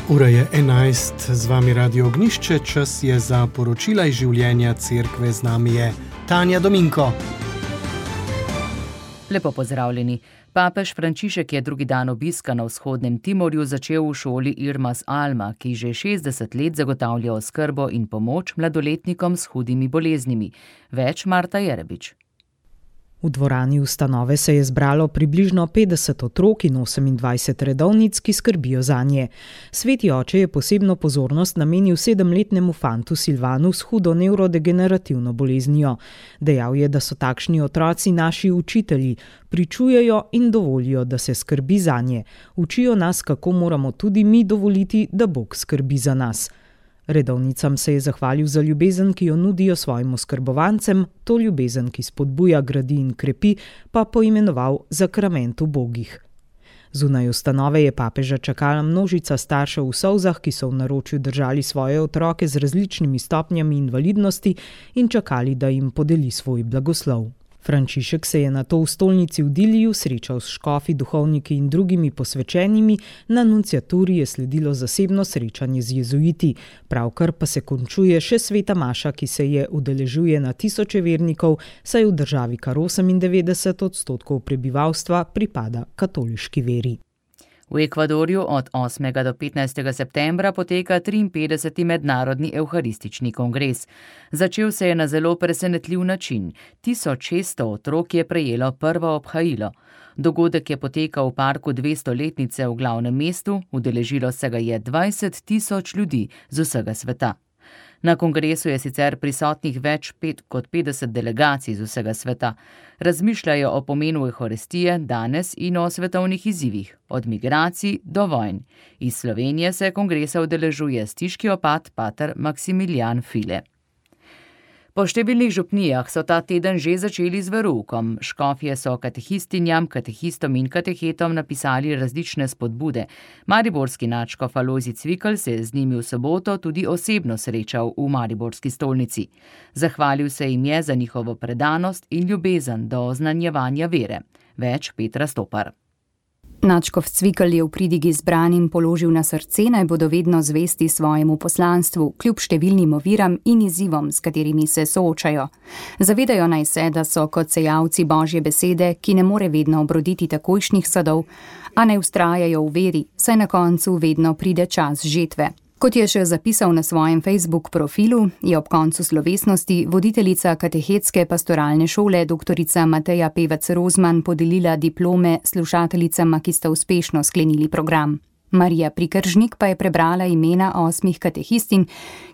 Ura je 11, z vami Radio Ognišče, čas je za poročila iz življenja cerkve, z nami je Tanja Dominko. Lepo pozdravljeni. Papež Frančišek je drugi dan obiska na vzhodnem Timorju začel v šoli Irmas Alma, ki že 60 let zagotavlja oskrbo in pomoč mladoletnikom s hudimi boleznimi. Več Marta Jerebič. V dvorani ustanove se je zbralo približno 50 otrok in 28 redovnic, ki skrbijo zanje. Sveti oče je posebno pozornost namenil 7-letnemu fantu Silvanu s hudo nevrodegenerativno boleznijo. Dejal je, da so takšni otroci naši učitelji, pričujejo in dovolijo, da se skrbi zanje. Učijo nas, kako moramo tudi mi dovoliti, da Bog skrbi za nas. Redovnicam se je zahvalil za ljubezen, ki jo nudijo svojim oskrbovancem, to ljubezen, ki spodbuja, gradi in krepi, pa poimenoval zakrament ubogih. Zunaj ustanove je papeža čakala množica staršev v solzah, ki so v naročju držali svoje otroke z različnimi stopnjami invalidnosti in čakali, da jim podeli svoj blagoslov. Frančišek se je nato v stolnici v Diliju srečal s škofi, duhovniki in drugimi posvečenimi, na nunciaturi je sledilo zasebno srečanje z jezuiti. Pravkar pa se končuje še sveta maša, ki se je udeležuje na tisoče vernikov, saj v državi kar 98% prebivalstva pripada katoliški veri. V Ekvadorju od 8. do 15. septembra poteka 53. mednarodni evharistični kongres. Začel se je na zelo presenetljiv način. 1600 otrok je prejelo prvo obhajilo. Dogodek je potekal v parku 200-letnice v glavnem mestu, udeležilo se ga je 20 tisoč ljudi z vsega sveta. Na kongresu je sicer prisotnih več kot 50 delegacij z vsega sveta. Razmišljajo o pomenu evharistije danes in o svetovnih izzivih, od migracij do vojn. Iz Slovenije se kongresa udeležuje stiški opat pater Maksimilijan File. Po številnih župnijah so ta teden že začeli z veroukom. Škofje so katehistinjam, katehistom in katehetom napisali različne spodbude. Mariborski nadškof Alojzij Cvikl se je z njimi v soboto tudi osebno srečal v mariborski stolnici. Zahvalil se jim je za njihovo predanost in ljubezen do oznanjevanja vere. Več Petra Stopar. Nadškof Cvikl je v pridigi zbranim položil na srce, naj bodo vedno zvesti svojemu poslanstvu, kljub številnim oviram in izzivom, s katerimi se soočajo. Zavedajo naj se, da so kot sejavci Božje besede, ki ne more vedno obroditi takojšnjih sadov, a naj vztrajajo v veri, saj na koncu vedno pride čas žetve. Kot je še zapisal na svojem Facebook profilu, je ob koncu slovesnosti voditeljica katehetske pastoralne šole dr. Mateja Pevec Rozman podelila diplome slušateljicama, ki sta uspešno sklenili program. Marija Prikržnik pa je prebrala imena 8 katehistin,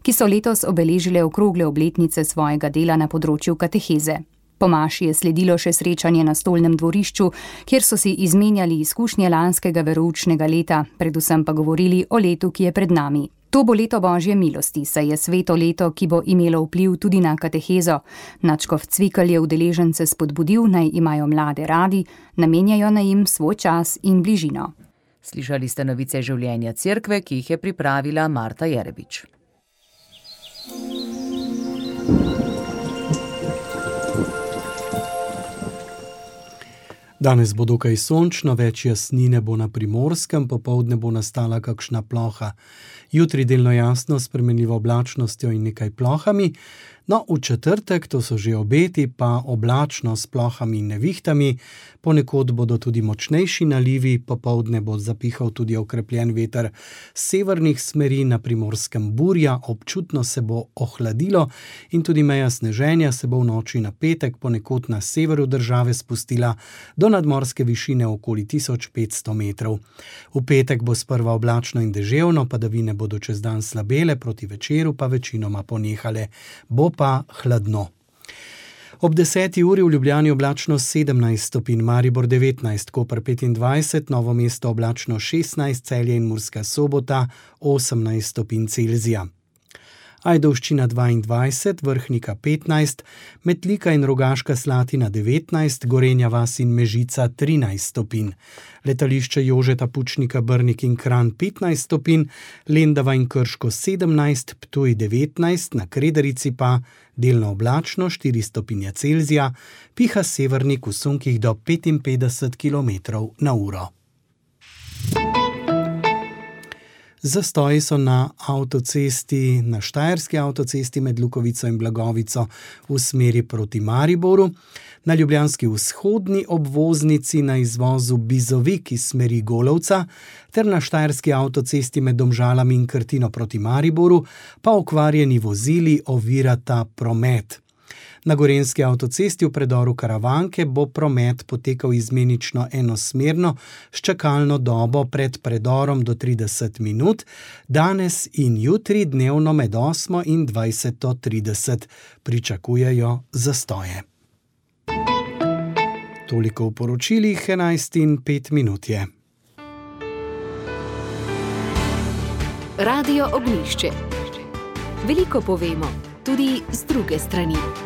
ki so letos obeležile okrogle obletnice svojega dela na področju kateheze. Po maši je sledilo še srečanje na stolnem dvorišču, kjer so si izmenjali izkušnje lanskega veroučnega leta, predvsem pa govorili o letu, ki je pred nami. To bo leto Božje milosti, saj je sveto leto, ki bo imelo vpliv tudi na katehezo. Nadškof Cvikl je udeležence spodbudil, naj imajo mlade radi, namenjajo naj jim svoj čas in bližino. Slišali ste novice življenja cerkve, ki jih je pripravila Marta Jerebič. Danes bo dokaj sončno, več jasnine bo na Primorskem, popoldne bo nastala kakšna ploha. Jutri delno jasno s spremenljivo oblačnostjo in nekaj plohami. No, v četrtek, to so že obeti, pa oblačno s plohami in nevihtami. Ponekod bodo tudi močnejši nalivi, popoldne bo zapihal tudi okrepljen veter s severnih smeri, na Primorskem burja, občutno se bo ohladilo in tudi meja sneženja se bo v noči na petek ponekod na severu države spustila do nadmorske višine okoli 1500 metrov. V petek bo sprva oblačno in deževno, padavine bodo čez dan slabele, proti večeru pa večinoma ponehale. Bo pa hladno. Ob 10. uri v Ljubljani oblačno 17 stopinj, Maribor 19, Koper 25, Novo mesto oblačno 16, Celje in Murska Sobota 18 stopinj Celzija. Ajdovščina 22, Vrhnika 15, Metlika in Rogaška Slatina 19, Gorenja vas in Mežica 13 stopinj. Letališče Jožeta Pučnika Brnik in Kranj 15 stopinj, Lendava in Krško 17, Ptuj 19, na Krederici pa delno oblačno 4 stopinje Celzija, piha severnik v sunkih do 55 km/h. Zastoji so na avtocesti, na štajerski avtocesti med Lukovico in Blagovico v smeri proti Mariboru, na ljubljanski vzhodni obvoznici na izvozu Bizovik iz smeri Golovca ter na štajerski avtocesti med Domžalami in Krtino proti Mariboru pa okvarjeni vozili ovirata promet. Na gorenjski avtocesti v predoru Karavanke bo promet potekal izmenično enosmerno s čakalno dobo pred predorom do 30 minut, danes in jutri dnevno med 8 in 20:30 pričakujejo zastoje. Toliko v poročilih, 11:05 je. Radio Ognjišče. Veliko povemo, tudi z druge strani.